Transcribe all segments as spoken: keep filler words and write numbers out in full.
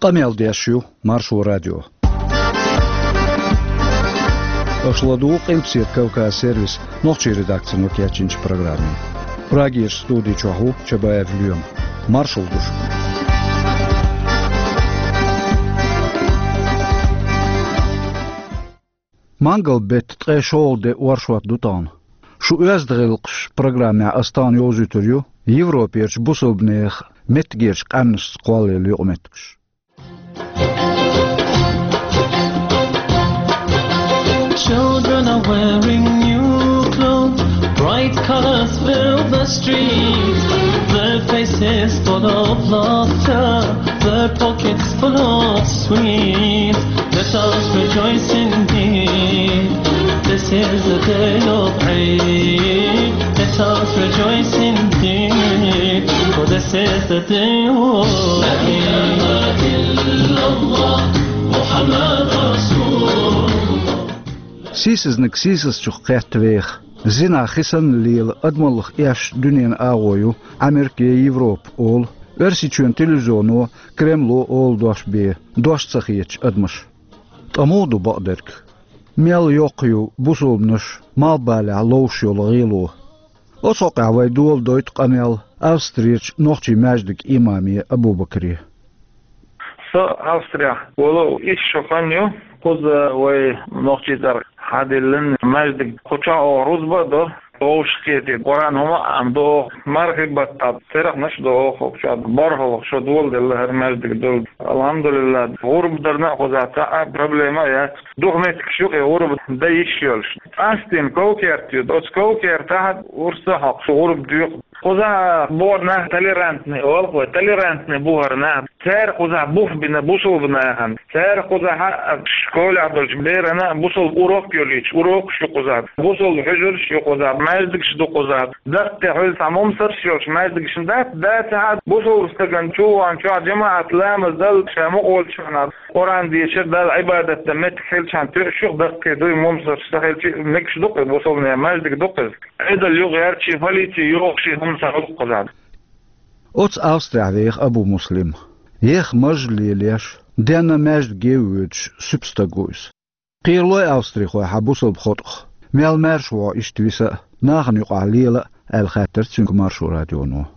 Къамел деш ю Маршо радио. Аша ладугӀу Къилбаседа Кавказ сервисан нохчийн редакцино кечйинчу программе. Прагерчу студи чохь ву Чабаев Лоьма. Маршалла ду шуьга. Мангал беттан ткъе шолгӀа де оршот ду тахана. Шу оьзда гӀиллакхаш программехь аса тахана йовзуьйтур ю Европерчу бусалбанехан меттигерчу къаьмнашца кхоллаелла юкъаметтигаш. Children are wearing new clothes, bright colors fill the streets. Their faces full of laughter, their pockets full of sweets. Let us rejoice indeed. This is the day of Eid. Let us rejoice indeed. For this is the day of Eid. Сийсазниг сийсазчух кхетта веха, зина хи санна лела адамаллах эшна дуьненан агӀо ю Ӏамерка я Европа олу, Оьрсийчоьнан телевизионо, Кремло олу дош бен, дош ца хеташ адамаш. Ткъа муха ду бакъдерг? Мел йоккха ю бусалбанаш малхбалехь ловш йолу гӀело? Оцу хьокъехь вай дола дойту къамел Австрерчу нохчийн маьждиган имаме Абу-Бакаре. Со Австрехь волу исс шо хан ю, кхуза вай нохчийн цӀарах хьадиллина маьждиг. Кху чохь оха рузба а до, вовшахкхетий, Къуръан хӀума а Ӏамадо оха, мархин баттахь церахнаш а до оха хӀокху чохь. БархӀалгӀа шо доладелла хӀара маьждиг долу. АлхьамдулиллахӀ, гӀурба дарна а кхузахь цхьа а проблема а яц. Дукха меттигаш ю-кх и гӀурба дан йиш йолуш. Къаьсттина ков-керт ю, оцу ков-кертахь урс а хьокхуш гӀурба доькъу. Кхузахь бохург нах толерантный олу-кх вай, толерантный бу хӀара нах. Цара кхузахь бух бина бусалба нахана. Цара кхузахь а школехь долчу берана бусалба урок а йолуьйтуш, урокаш ю кхузахь. Бусалба хьуьжарш а ю кхузахь, маьждигаш а ду кхузахь. Даккхий хьуьлла цхьа мумсарш а йолуш маьждигаш дац, дацахь а бусалба стагана чуван чохь жамаӀат ламаз дала ша мукъа волчу хьуна Къуръан дешар, Далла Ӏибадат дан меттиг хилчахьана тоьуш ю-кх даккхий дуй мумсарш ца хилча а, мегаш ду-кх и бусалбанийн маьждиг ду-кх иза. Ӏедал юкъа яьрчий, полици йохуш и хӀума ца хуьлу-кх кхузахь. Оцу Австрехь веха Абу-Муслим. Еха маж лелош, денна маьждиге а воьдуш, суьпа стаг ву иза. Кхералой австрихой хьан бусалба хотӀах, мел маьрша вогӀу иштта виса а, нахана юкъахь лела а, аьлла хаьттира цуьнга Маршо радионо.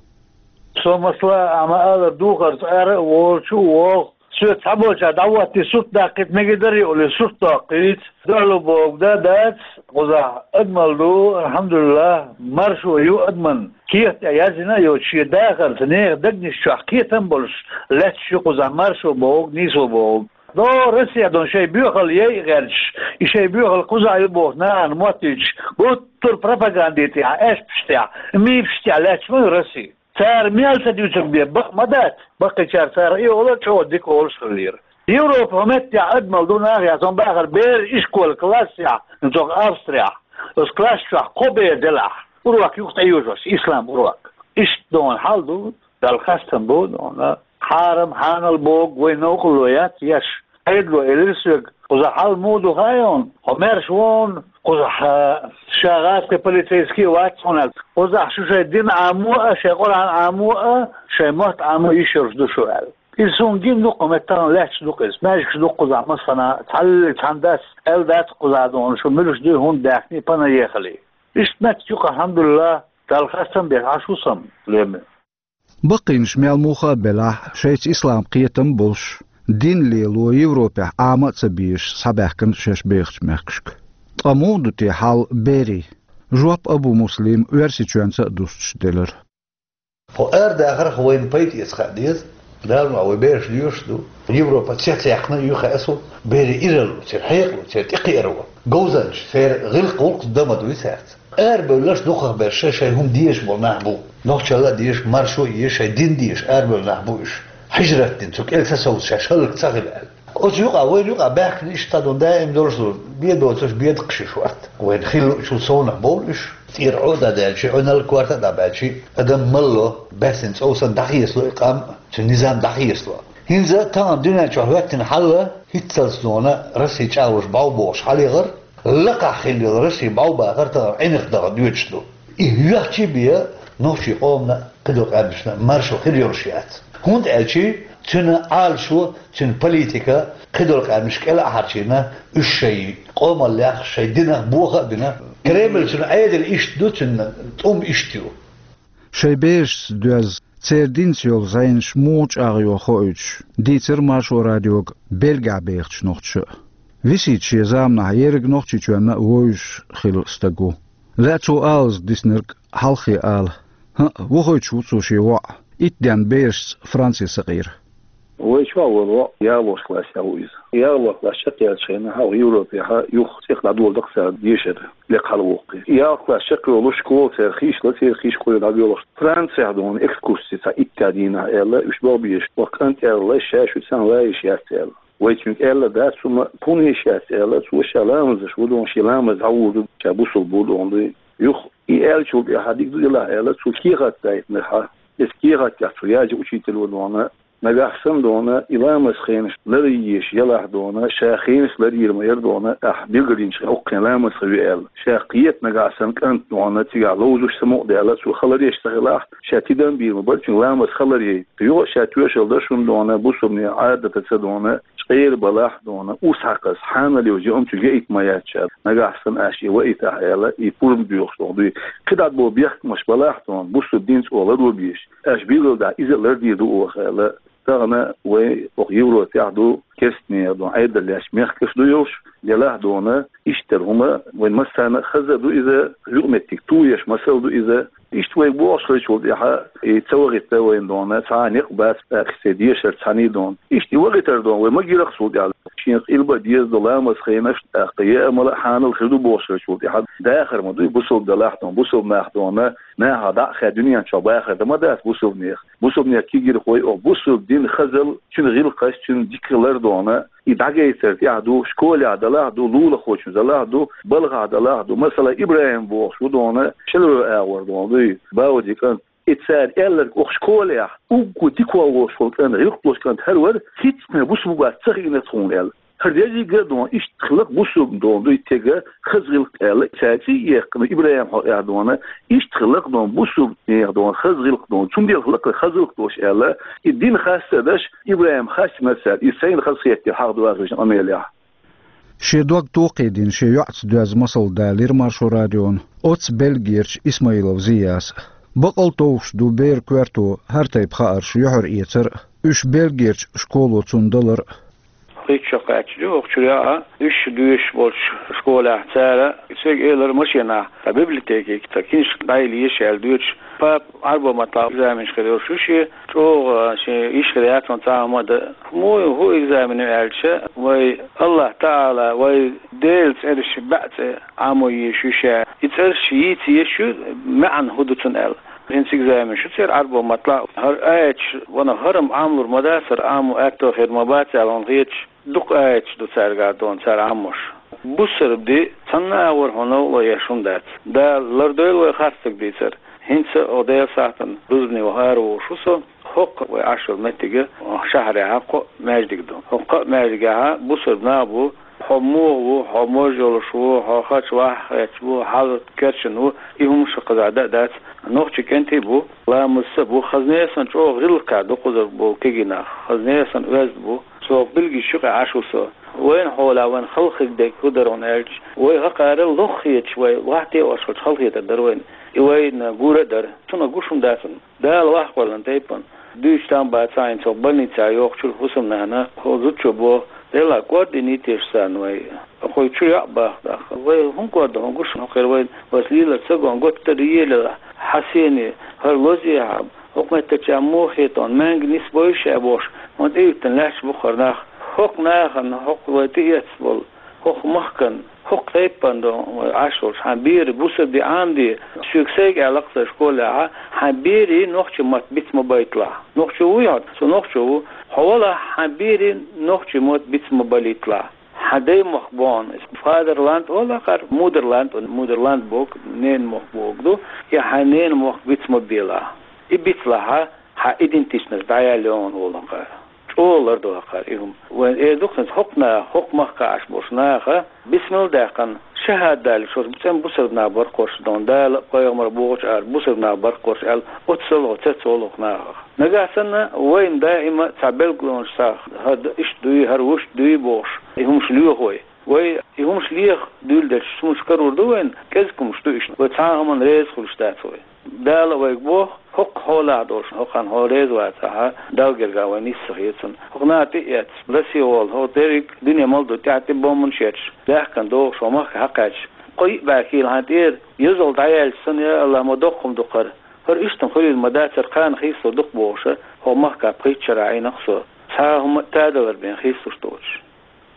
Со масала, ахьа ма-аллара, духарца ара а волчу а вогӀу. Соьца цхьаболчара дӀахӀоттий сурт даккхийта мегар дара олий, сурт доккхийта. Дуьхьало бохург дан дац, кхузахь адамалла ду, алхьамдулиллахӀ, маршо ю адаман. Кехат тӀехь яздина а йоцуш, шен дахарца нехан дегнаш чохь кхетам а болуш лаьтташ ю кхузахь маршо бохург, нийсо бохург. ДогӀу Россехь долу шайн боьхалла яйа гӀерташ, и шайн боьхалла кхузахь ю бохуш нахана моттуьйтуш, гуттар а пропагандин тӀехь, аьшпаш тӀехь, мифаш тӀехь лаьтташ ма ю Россия. Цара мел ца дуьйцург бен бакъ ма дац, баккхийчара цара и олу а чӀогӀа дика олуш хиллера. Европа хӀокху меттехь адамалла ду нах, я сон бахара беран ишколан классехь, цу Австрехь, оцу класс чохь кхо бер делахь, урок юха тӀейожош, ислам урок. Иштта дона хьал ду, Далла хастам бу, дона. Хьарам, хьанал бохург вайн новкъарло яц еш. Ӏедало элира соьга, кхузахь хьал муха ду хаьий хьуна, хьо маьрша ву хьуна, кхузахь ша гӀазкхи полицейский а вац хьуна аьлла. Кхузахь шу шайн дин Ӏамо а, шайн Къуръан Ӏамо а, шайн мотт Ӏамо а йиш йолуш ду шу аьлла. Иза суна гина ду-кх, хӀокху меттехь лаьтташ ду-кх иза. Маьждигаш ду-кх кхузахь массанхьа, цхьаллиг цхьана дас аьлла дац-кх кхузахь, дона, шу муьлш дуй хӀунда даьхний пана ехале. Иштта меттиг ю-кх, алхьамдулиллахӀ, Далла хастам беш Ӏаш ву сан, Лоьма. Баккхийнаш мел муха а белахь, шайца ислам кхетам а болуш, дин лело Европехь Ӏама а ца безаш схьабаьхкина шаьш бехачу мехкашка. Ткъа муха ду те хьал берийн? Жоп Абу-Муслима Оьрсийчоьнца а дустуш делира. Хьо арадахарх вайна пайда эца хаа деза. Дала ма вай бераш лоьшуш ду. Европа цецъяьккхина а ю хаьа суна, берийн иралло, церан хьекъало, церан тӀекхиаро. Говзанчаш, церан гӀиллакх-гӀуллакхаш дан ма дуй цаьрца. Арабевлларш дукхахберш шайн-шайн хӀума дезаш болу нах бу. Нохчалла а дезаш, маршо а езаш, шайн дин дезаш арабевлла нах бу уьш. Хьижрат дина, цу кӀел ца совца шаьш хӀаллак ца хила аьлла. Оцу юкъа, вайна юкъа баьхкина иштта дун даим долуш ду, бен доцуш бен даккхаш ю шорта. Вайна хилла а чул совнах бовлу уьш. ЦӀера Ӏо а дӀадаьлча, Ӏуьналла, корта а дӀабаьлча, адам малло, баьссина цӀов санна дӀахецало и къам, цуьнан низам дӀахецало. ХӀинца а тахана дуьнен чохь хӀоьттина хьал а, хӀинццалц нуна Россин чӀагӀлуш бӀов бохуш хьалаехар, лакхахь хилла йолу Россин бӀов бахар тахана Ӏинах даха доьдуш ду. И хӀоьттича а бен, нохчийн къомана а, кхидолу къаьмнашна а маршо хир йолуш яц. ХӀунда аьлча Цуьнан Ӏалашо, цуьнан политика, кхидолу къаьмнаш кӀел а хьарчийна, уьш шайн къомаллех, шайн динах боха а бина. Кремль цуьнан Ӏедал иштта ду, цуьнан тӀум иштта ю. Шайн берашца доьзна, церан динца йолу зӀенаш муха чӀагӀйо хоуьйтуш, дийцира Маршо радиога Бельгехь бехачу нохчаша. Висита шен заманахь ерриг Нохчийчоьнна а вовзуш хилла стаг ву. Лаьа цо алаза диснарг хьалххе ала. ХӀаъ, вохуьйтуш ву цо шен воӀ, итт денна берашца Франце сакъийра. Вай чохь волу воӀ ялхолгӀачу классехь ву иза. ЯлхолгӀа класс чекхъяьллачу хенахь, хьо Европехь юха цӀе дӀадолу дакъа цара дешар лекха хьалавоккхий. ЯлхолгӀа класс чекхйолуш школа церан хийшла, церан хийш кхойла дӀабоьлхуш, Францехь дуьйна экскурси цхьа итт дийнахь аьлла, уьш боху беш, оха кӀант аьлла, ша шуьца ван йиш яц аьлла. Вай цуьнга аьлла дац, хӀума хӀунда йиш яц аьлла, цо ша ламазаш ву дуьйна, шен ламаз дӀагӀур ду, ша бусулба ву дуьйна дуй. Юха и аьллачул тӀаьхьа дика ду делахь аьлла, цо кехат дайтинархьа. Иза кехат тӀехь цо яжа учитель ву дуьйна, нагахь санна дуьйна, и ламаз хенаш ларъеш ялахь дуьйна, ша хенаш ларйийр ма яра дуьйна, ахь билгалйинчу хенахь уккхин ламаз хир ю аьлла. Ша кхета нагахь санна кӀант дуьйна, цигахь ловзуш самукъадаьлла, цо хабар деш ца хилахь, ша тидам бийр ма бара, цуьнан ламаз хабар яй. Юха а ша тоьшалла дар шуна дуьйна, бусулбанийн Ӏадатаца дуьйна, чкъера балахь дуьйна, урс хьакхаза, хьанал йовза юкъамчу яйта ма яц ша, нагахь санна аша и ваийтахь аьлла, и пурба доьхуш дуьйна дуй. КхидӀа боху бехкамаш балахь дуьйна, бусулба дин цӀа ларбеш, аша билгалдахь, иза а лардийр ду оха аьлла. Тахана вай оха Европехь ду, керстанера дуьйна Ӏедал лаьцначу мехкаш ду йолуш, делахь дуьйна, иштта хӀума вайн массарна а хаза ду иза, юкъаметтиг тоеш масал ду иза. Иштта вайга бохуш хилчул тӀаьхьа, и ца вахийта вайна дуьйна, цхьа а некъ бац, тӀаккха церан дешар цхьаьний дуьйна. Иштта и вахийтар дуьйна, вай ма гира-кх цул тӀаьхьа. Шена къилба а деза ду ламаз хенаш, тӀаккха яа мала а хьанал хир ду бохуш хилчул тӀаьхьа, дахар ма дуй, бусулба далахь дуьйна, бусулба нах дуьйна, нахах дӀа а хаьа дуьнен чохь бахар дан ма дац бусулбанех. Бусулбанех кегийрхой оха бусулба дин хазалла, цуьнан гӀиллакхаш, цуьнан дика лар дуьйна, и дӀагайтар тӀехь ду, школехь далахь ду, лулахочун далахь ду, балхахь далахь ду. Масала, ИбрахӀим бохуш ву дуьйна, шелро агӀор дуьйна дуй, Баудин кӀант. И цара аьлларг оха школехь, уггар дика волуш волу кӀант, гӀиллакх долуш кӀант хӀара вара, хӀинца-м бусулба вац ца хиъна тхуна аьлла. ХӀара дерриге а дуьйна, иштта хилла-кх бусулба дуьйна дуй тега хаза гӀиллакх аьлла, цаьрца а яьккхина, ИбрахӀим хьокъехь дуьйна, иштта хилла-кх дуьйна бусулба нехан дуьйна хаза гӀиллакх дуьйна, цундела хилла-кх хаза гӀиллакх долуш аьлла, и дин хастадеш, ИбрахӀим хастинарг цара, иза сайна хазахетира хьаха догӀучу къамелехь. Шен дог токхийдина шен йоӀца доьзна масал далийра Маршо радиона оццу Бельгерчу Исмаилов Зияса. Бакъал товш ду бер коьрто хӀара тайпа хаарш юьхьар эцар а, уьш Бельгерчу школо цунна далар а. Хиттачу кхаьчча ду оха чуьра яа, уьш доьшуш болчу школехь цара, соьга элира машенахь, тхан библиотекига тхан киншка дӀайилла еза аьлла доьшуш, папа Ӏарбойн маттахь экзаменаш хир йолуш ю шен, чӀогӀа шен йиш хир яц хьуна цхьа хӀума а дан. Муха ю хӀун экзамен ю аьлча, вай АллахӀ ТаӀала, вай Делан цӀераш бӀе цӀе Ӏамо езаш ю ша. И цӀераш йийца езаш ю, маьӀна хӀун ду цуьнан аьлла. ХӀинца экзаменаш ю церан Ӏарбойн маттахь. ХӀара аяташ, ванах, хӀара-м Ӏамалур ма дац, хӀара Ӏамо аьтто хир ма бац аьлла, хӀунда хеташ, дукха аяташ ду цаьргахь дуьйна цара Ӏамош. Бусалба дин цхьанна а вара хьуна новкъарло еш хӀума дац. Дала лардойла вай харцдерг дийцар. ХӀинца оха Делан сахьтана рузбане ваха ара волуш ву со. ХӀокху вай Ӏаш йолу меттиге, шахьарехь кхо маьждиг ду. ХӀокху кхаа маьждигехь бусалба нах бу, хьо муха ву, хьо мож йолуш ву, хьо хача ваха хеташ ву, хьал керчина ву, и хӀумнаш кхузахь дан а дац. Нохчийн кӀентий бу, ламазца а бу, хаза несан чӀогӀа гӀиллакхехь ду кхузара болу кегий нах, хаза несан оьзда бу. Со билггал юкъахь Ӏаш ву со. Вайна хьолехь вайна хала хир дерг хӀун дара хьуна аьлча, вай хӀокхара лох хеташ, вай вахьте а ош хилча хала хетар дара вайна. И вайна гур а дара. Цунах гуш хӀума дац хьуна. Дала вахкхаллан тайпана. Дуьйцуш там бацахь, хӀинца оха больницехь йоккхучуьра хӀусамнана, хӀокху зудчо боху, Делахь, кӀордийна йитийша царна вай. Кхуьнан чу йоӀ баха даха. Вай хӀун кӀордо хьуна гуш хӀокхуьра вайна, вайца лелар ца го, готта тара елахь, хьан сене, хӀара лозехьа, хӀокху меттачарна муха хета хьуна, маьнга нисбойла ша бохуш, хьуна тӀеюьттина лаьтташ бу-кх хӀара нах. ХӀокху нахана, хӀокху вай тӀеэцна болу, хӀокху махкана, хӀокху тайпана ду вай Ӏаш волчу, хьан беран бусалба дин Ӏамаде, соьга сайга аьлла-кх сайн школехь, хьан берийн нохчийн мотт биц ма байталахь. Нохчо вуй хьо? Со нохчо ву. Хьо валахь, хьан берийн нохчийн мотт биц ма балийталахь. Хьан даймохк боху, Фадерланд олу-кх хӀара, Мудерланд, Мудерланд боху, ненан мохк бохург ду, и хьан ненан мохк биц ма белахь. И бицлахь, хьан идентичность дӀаяьлла йогӀу олу-кх хӀара. ЧӀогӀа лардо-кх хӀара и хӀума. Вайна эр ду-кх хӀинца хӀокху наха, хӀокху махкахь Ӏаш болчу наха, бисмилла даьккхина, Шахьад далийча, цӀена бусалба нах бара-кх уж, дона, Дала а, пайхамара а бохучу аьлла, бусалба нах бара-кх уж аьлла, оццул гӀо, цецволу-кх нахах. Нагахь санна вайна даима цхьа билгалонаш, цхьа хӀара иштта дуй, хӀара вуьшта дуй бохуш, и хӀумаш лоьху вай. Вай и хӀумаш леха дуьйладелча, хӀумаш карор ду вайна, кӀезиг хӀумаш ду иштта. Вай цхьа а хӀуманна реза хуьлуш дац вай. Дала а вайга боху, хӀокху хьолахь долуш, хӀокхарна хьо реза вацахь, Далла гергахь вай нийса ца хета цунна. ХӀокху наха тӀе а эцна, ласийгӀолла, хӀокху дерриг а дуьне мел долу тӀаьхьа тӀе бомбанаш етташ, баьхкина догӀуш хӀокху махка хьакхаьчча, кхо-йиъ бӀе кило хьан тӀера йозалла дӀаяьлча санна, я АллахӀ, ма доккха хӀума ду-кх хӀара. ХӀара иштта-м хуьлийла ма дацара, кхана хийцалур ду-кх бохуш, хӀокху махка пхийтта шарахь Ӏийна-кх со. Цхьа а хӀума а тадалар бен хийцалуш доцуш.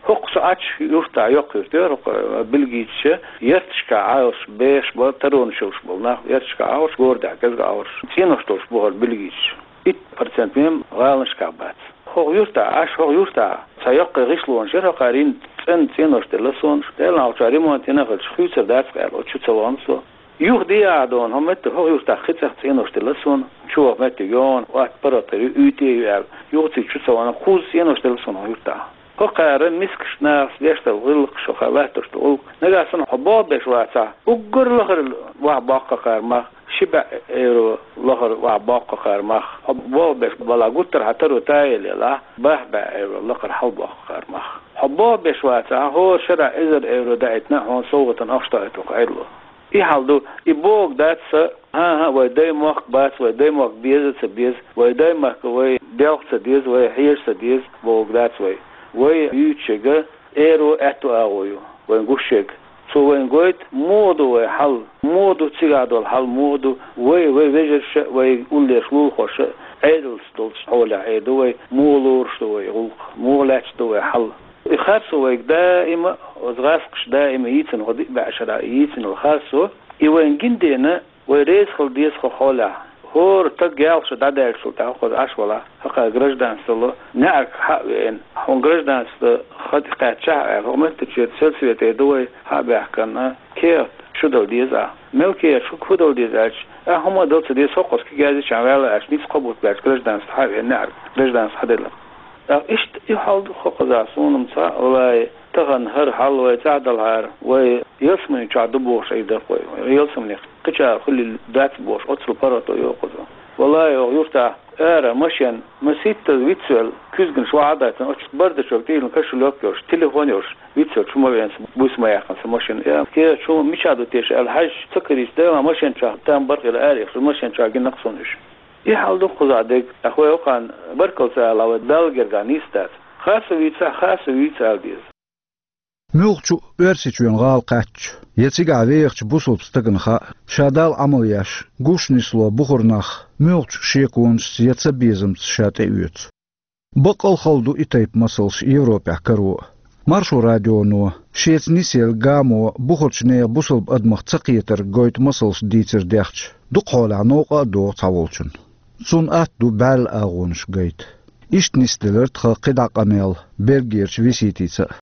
ХӀокху со Ӏачу юьртахь, йоккха юрт яра хӀокху, бельгийцаша, ярташкахь Ӏаш, беш бара, таронаш йолуш болу нах, ярташкахь Ӏаш, городехь кӀезиг Ӏаш, цӀенош долуш бу хӀара бельгийцаш. Итт процент мел гӀаланашкахь бац. ХӀокху юьртахь Ӏаш, хӀокху юьртахь цхьа йоккхий гӀишлонаш яра, хӀокхара йина цӀена цӀенош делла суна, Делан Ӏалашо ремонт йина хилча, хуьйцур дац-кх аьлла, оцу чу ца вахана со. Юха де ахь, дона, хӀокху меттехь, хӀокху юьртахь кхин цӀе цӀенош делла суна, чу ваха меттиг йогӀу, атта паргӀат хир ю, уьйтӀа а ю аьлла, юха цига чу ца вахана, кхузза цӀенош делла суна хӀокху юьртахь. ХӀокхара мискачу нахаца деш долу гӀиллакхаш, хӀокхара латтош долу гӀуллакх. Нагахь санна хьо болх беш вацахь, уггар лахара охьабоккху хӀокхара мах, ши бӀе евро лахара охьабоккху хӀокхара мах. Хьо болх беш балахь, гуттар а хьан таро тӀаелла елахь, бархӀ бӀе евро лакхара хьалабоккху хӀокхара мах. Хьо болх беш вацахь, хӀора шарахь эзар евро даийтина хьуна совгӀатана ахча тоьхна хӀокху Ӏедало. И хьал ду, и бохург дац сан, хӀан-хӀа, вай даймохк бац, вай даймохк беза а ца беза, вай даймахка вай делха ца деза, вай хьежа ца деза бохург дац вай. Вай юьйцуш ерг эро аьтту агӀо ю, вайна гуш ерг. Цо вайна гойту, муха ду вай хьал, муха ду цигахь долу хьал, муха ду вай, вай вежарша а, вай уллерчу лулахоша а, Ӏедалца долчу хьолехь эр ду вай, муха лоруш ду вай гӀуллакх, муха лаьтташ ду вай хьал. И харцо вайга даима, оцу гӀаскхаша даима йийцина, хӀокху диъ бӀе шарахь йийцина йолу харцо, и вайна гина дена, вай реза хила деза хӀокху хьолехь. ХӀора стаг ялх шо дӀадаьллачул тӀаьхьа, хӀокхуза Ӏаш валахь, хӀокхара гражданство долу неӀарга хьа а веана, хьуна гражданство хан тӀе кхаьччахьа аьлла, хӀокху меттигерчу сельсовете эр ду вай, хьа а баьхкина, кехат шу дала деза ахь. Мел кехат шу, хӀун дала деза аьлча, ахь хӀума а дала ца деза, хӀокхуза кегазичахьа ваьлла аьлча, ницкъ кхо бутт баьлча гражданство хьа а веана, неӀарга гражданство хьаделла. ТӀаккха иштта и хьал ду хӀокхузахь суна-м цхьаъ, валлахӀи, тахана хӀара хьал вай цӀахь далахьара, вай ялсамани чохь ду бохуш Ӏийр дара-кх вай. Ялсаманехь кхечара хуьлийла дац бохуш, оццул паргӀато йоху-кх иза. ВаллахӀи, оха юьртахь ара машен масийттаза вицвелла, куьзганаш охьа а дайтина, оцу бардачуьнга тӀе йиллина кошелёк йолуш, телефон йолуш, вицвелла чу ма веана сан, буьйса ма яьккхина сан машина. Э, кхера чу мичахь ду теша аьлла хьаьжча, ца карийча, Делан, машен чохь там бара хилла, арахь ехча, машен чохь гина-кх суна уьш. И хьал ду-кх кхузахь дерг, тӀаккха вай хӀокхарна баркалла ца алахь, вай Далла гергахь нийса дац. Харцо вийцахь, харцо вийца ала деза. Муьлххачу а Оьрсийчоьнан гӀала кхаьчча, я цигахь вехачу бусалба стагана хаьа, ша Далла Ӏамал еш, гуш нисло бухара нах муьлххачу шеконашца я цабезамца ша тӀеоьцу. Баккъал а хала ду и тайпа масалш Европехь каро а. Маршо радионо шеца нисъелла гамо бухарчу нехан бусалба адамах цакхетарг гойту масалш дийцар дехча, дукха хьолахь новкъа а догӀу цхьаволчунна. Цунна атта ду бӀаьрла агӀонаш гайта. Иштта нисделира тхан кхидӀа къамел Бельгерчу Виситица а.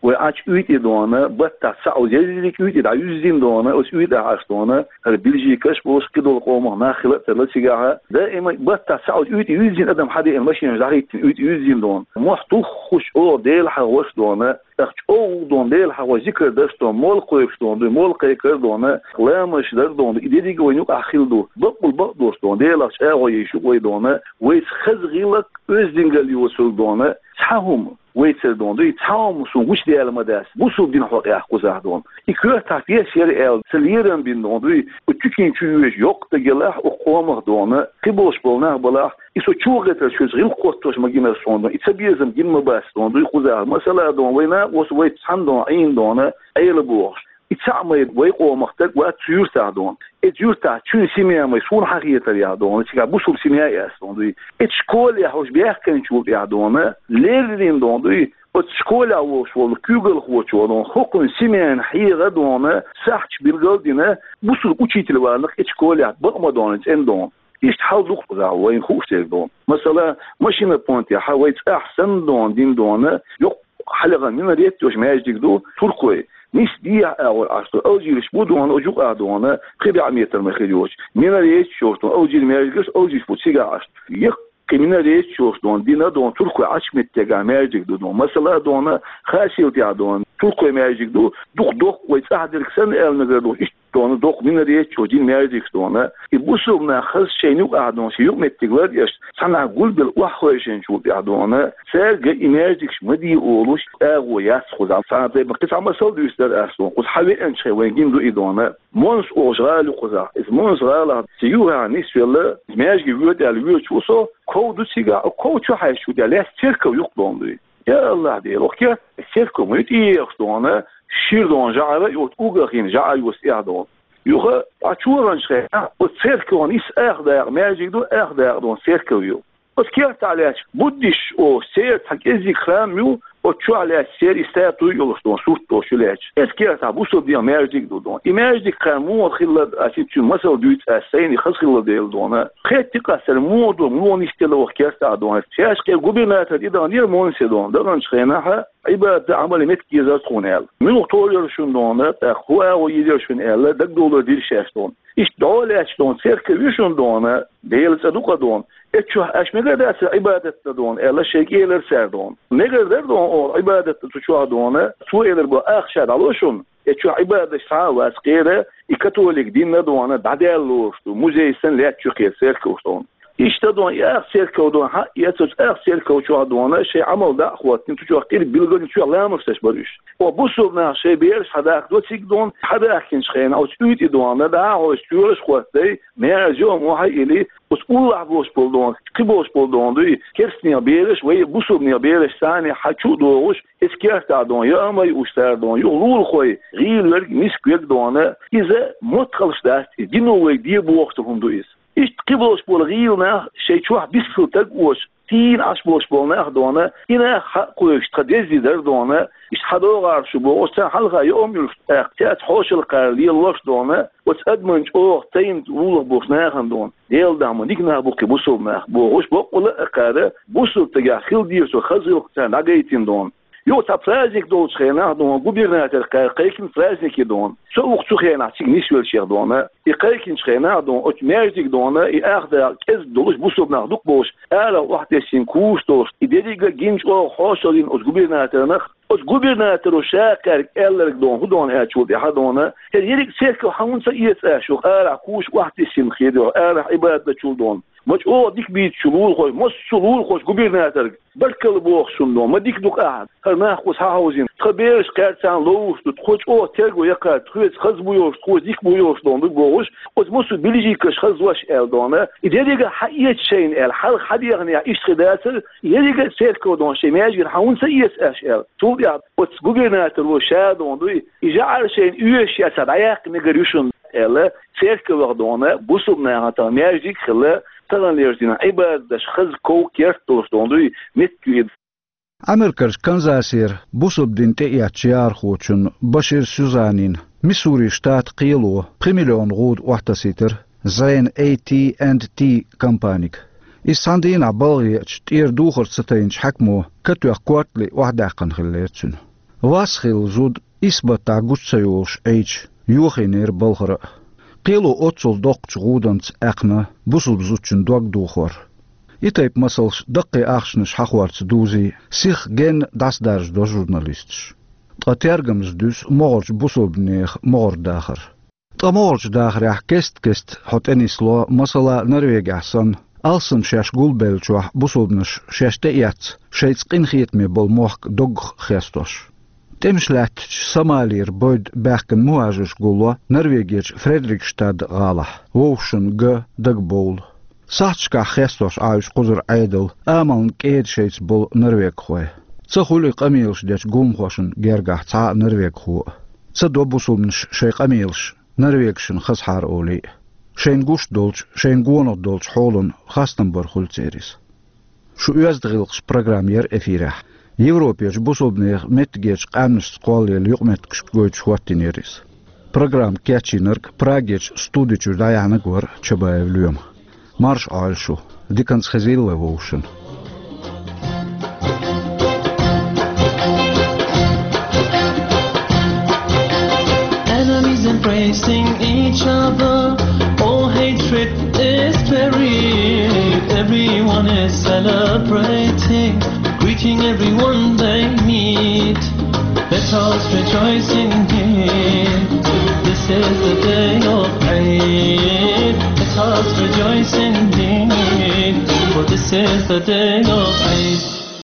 Вай Ӏачу уьйтӀе дона, баттахь цхьа оза ерриг уьйтӀе дӀаюьззина дона, оцу уьйтӀахь Ӏаш дона, хӀара Бельгикаш а болуш, кхидолу къомах нах хила а тарло цигахь а. Даима баттахь цхьа оза уьйтӀе юьззина адам хьадеана машенаш дӀахӀиттина, уьйтӀе юьззина дона. Мохь туххуш, оха Дела хьахош дона, тӀаккха чӀогӀа дона, Дела хьахош, зикар даш дона, молла кхойкхуш дона дуй, молла кхайкар дона, ламазаш дар дона дуй, и дерриг а вайна юкъахь хила ду. Бакъволу бакъдолуш дона, Делах чӀагӀо еш ю вай дона, вайца хаза гӀиллакх, оьздангалла йоцург дона, цхьа хӀума вайцара дона дуй, цхьа хӀума суна гучудаьлла ма дац, бусалба динан хьокъехь кхузахь дона. И коьртахь пеш яра аьлла, ца лерам бина дона дуй, оцу чу кийна чу йоьжу йоккха стаг елахь, оцу къомах дона, кхиболуш болу нах балахь, и со чу вахийтарца шуьца гӀиллакх хоттош ма гинара суна дона, и цабезам гина ма бац дона дуй кхузахь. Масала дона, вай накъост вайца цхьаьна дона, Ӏийна дона, Ӏела бохуш. И цхьаъ ма яра вай къомах стаг вац цу юьртахь дона. Эцу юьртахь чуьнан семья ма яра суна хьахетарехь дона, цигахь бусалба семья а яц дона дуй. Эцу школехь уьш баьхкинчул тӀаьхьа дона, леррина дона дуй, оцу школехь волуш волу куьйгалхочо дона, хӀокхуьнан семьяна хьегӀа дона, сахьташ билгал а дина, бусалба учитель валанах эцу школехь бакъ ма дона, цӀена дона. Иштта хьал ду-кх кхузахь вайна хууш дерг дона. Масала, машина понтехь вай цӀахь санна дона, дина дона, йоккха хьалха минарет йолуш маьждиг ду, туркойн. Нисса дехьа агӀор Ӏаш ду, алжираш бу дона, оцу юкъахь дона, пхи бӀе метр ма хир йоцуш. Минарет йолуш дона, алжир маьждигаш, алжираш бу цигахь Ӏаш ду. Яккха кхы минарет йолуш дона, дина дона, туркойн Ӏачу меттигехь маьждиг ду дона. Масала дона, хасийлтехь дона, туркойн маьждиг ду, дукха доккха вай цӀахь дерг санна аьлла мегар ду, иштта дона доккха минарет йолуш дина маьждигаш дона. И бусулба нах хаза шайна юкъахь дона, шайн юкъаметтиг лар а еш, цхьанхьа гулбелла охьахевшинчул тӀаьхьа дона, цаьрга и маьждигаш ма де олуш, агӀо яц кхузахь. Цхьана тайпана кхин цхьа масал дуьйцур дара ас дона, кхуза хьан веанчу хенахь вайна гина ду и дона. Монс олуш гӀала ю кхузахь. Иза Монс гӀалахь сан юххехь нисвелла, маьждиге воьду аьлла воьдуш ву со, ков ду цигахь, ков чу хьаьжча, тӀе лаьцна церков ю-кх дона дуй. Я АллахӀ Дела, оха керта церков ма ю тӀеэхаш дона, шира дона жӀара а, оцу уггар хин жӀара а йоцу тӀехь дона. Юха, Ӏа чу ваханчу хенахь, оцу церковна иштта ах дакъа маьждиг ду, ах дакъа дона церков ю. Оцу кертахь лаьтташ буддисташ олуш церан цхьа кӀеззиг храм ю, оцу чохь лаьтташ церан и статуй а йолуш дона, сурт долуш ю лаьтташ. Оцу кертахь бусулба динан маьждиг а ду дона. И маьждиг кхара муха хилла, ас цуьнан масал дуьйцу ас, сайна хазахилла дела дона. Кхетта а къастар муха ду, муха нисделла оха кертахь дона. Шаьш кхин губернатор тӀедаханера Монсе дона, даханчу хенахь Ӏибадат а, Ӏамал а меттиг езара тхуна аьлла. Муьлха товр яра шуна дона, тӀаккха хӀун агӀо йийр яра шуна аьлла, дагадовлар дира шаьш дона. Иштта дӀо а лаьтташ дона, церков ю шуна дона, Делан цӀа ду-кх дона. Эцу чохь аша мегар дацара Ӏибадат дан дона аьлла, шайга элира цара дона. Мегар дара дона оха Ӏибадат дан цу чохь дона, цо элира боху, ах ша дӀало шуна. Эцу чохь Ӏибадаташ цхьа а вац, кхера и католик дин а дона, дӀадаьлла лоруш ду, музей санна лаьтташ ю кхера церковш дона. Иштта дона, и ах церков дона, хьаъ, эцу ах церков чохь дона, шайн Ӏамал дӀа а хӀоттийна, цу чохь кхин билгалонаш, цу чохь ламазаш деш бара уьш. Оха бусулба нах шайн бераш хьадахка до цига дона, хьадахкинчу хенахь оцу уьйтӀе дона, дӀа а хьовсий, чоьхьарш а хӀоттий, маьрша йоӀ охьа а йиллий, оцу уллохь болуш болу дона, кхин болуш болу дона дуй, керстанех бераш, вай бусулбанех бераш царна хьа чу а догӀуш, оцу кертахь дона, яа а ма юуш цара дона, юха лулахой, гӀийла верг, миска верг дона, иза моттигаш дац, иза дино вайга де бохуш долу хӀума ду иза. Иштта кхин болуш болу гӀийла нах шайн чохь бисхила стаг а воцуш, тийна Ӏаш болуш болу нах дона, и нах хьа а кхойкхуш, тхан деза де дара дона, иштта хьан догӀу шу бохуш, царна хьалха яа а ма юьллуш, тӀаккха цаьрца хьошалгӀа кхара лелош дона, оцу адаман чӀогӀа тайна вуллах болуш нахана дона. Делан дуьхьа ма дика нах бу кхин бусулба нах бохуш, баккъала а кхара, бусулба стагехь хила дезаш долу хаза гӀиллакх царна дӀагайтина дона. Юха цхьа праздник долчу хенахь дона, губернатор кхара кхайкхина праздник ю дона. Со ву-кх цу хенахь цига нисвеллачех дона. И кхайкхинчу хенахь дона, оцу маьждиг дона, и ах дакъа кӀезиг долуш, бусулба нах дукха болуш, арахь охьатесна куш долуш, и дерриг а гина, чӀогӀа хьошалла йина оцу губернаторна. Оцу губернаторо ша кхаьрга аьлларг дона, хӀун дона аьлча, тӀаьхьа дона, хӀара ерриг церков хьан хӀунда ца эца аша, юха арахь куш охьатесна хир ю, арахь Ӏибадат дечул дона. Ма чӀогӀа дика бийцичу лулахой, массо а лулахочу губернаторга баркалла боху шуна дона, ма дика ду-кх ахь, хӀара нах кхуза схьахьовзийна. Тхан бераш кхаьрца ловш ду, тхо чӀогӀа терго яьккхар, тхоьца хаза бу йолуш, тхоьца дика бу йолуш дона ду бохуш, оцу массо а билижикаш хаза ваша аьлла дона, и дерриг а хьаэца шайна аьлла, хьалха хьан дехнехь иштта хир дацара, ерриг а церков дона шайн маьждигера хьан хӀунда ца эца аша аьлла. Цул тӀаьхьа оцу губернаторо ша дона дуй, и жӀар шайна оьшуш яц, дӀаяккха мегар ю шуна аьлла, церковах дона, бусулба нахана тахана маьждиг а хилла, таханлерчу дийнахь Ӏибадат деш хаза ков, керт долуш дона дуй, меттиг ю и. Америкерчу Канзасера бусулба дин тӀеэцначу яхархочун Башир Сюзанин Миссури штатан кхело пхи миллион гӀуда охьатасийтира Зайн A T and T компанига. Иза цхьана дийнахь балха еача, тӀера духар ца тайначу хьаькамо катоьхна кортали охьадаьккхина хиллера цуьнан. Вас хилла зуда исс баттахь гучу ца йолуш Ӏийча, йохийнера балхара а. Кхело оццул доккхачу гӀуданца аькхна бусулба зудчун дог дохор. И тайпа масалш даккхий ахчанаш хьахорца дузий, сиха генна дӀасадаржадо журналисташ. Ткъа тергамза дуьсу могӀарчу бусулбанехан могӀара дахар. Ткъа могӀарчу дахарехь кест-кеста хьо тӀенисло, масала, Норвегехь санна, алссам шаьш гулбеллачохь бусулбанаш шаьш тӀеэцна, шайца къинхетаме болу мохк доггах хестош. ТӀемаш лаьттачу Сомалера бойда баьхкина мухӀажарш гулло Норвегерчу Фредерикстад гӀалахь, вовшашна га дага бовла. Сахьташкахь хестош Ӏа уьш кхузара Ӏедал, амална кӀеда шайца болу норвегхой. Ца хуьлу и къамелаш дечу гуламхошна гергахь цхьа а норвегхо а. Ца до бусулбанаш шайн къамелаш норвегашна хазахьара олий а. Шайна гуш долчу, шайна гонах долчу хьолан хастам бар хуьлу церан иза. Шу оьзда гӀиллакхаш программа яра эфирехь. Европерчу бусулбанехан меттигерчу къаьмнашца кхоллаелла юкъаметтигашка гойтуш хӀоттийнера иза. Программа кечйинарг Прагерчу студи чуьра дӀаяьхьнарг вара Чабаев Лоьма. Марша Ӏойла шу, диканца хезийла вай вовшашна. Enemies embracing each other, all hatred is buried, everyone is Everyone they meet, let us rejoice indeed. This is the day of Eid. Let us rejoice indeed, for this is the day of Eid.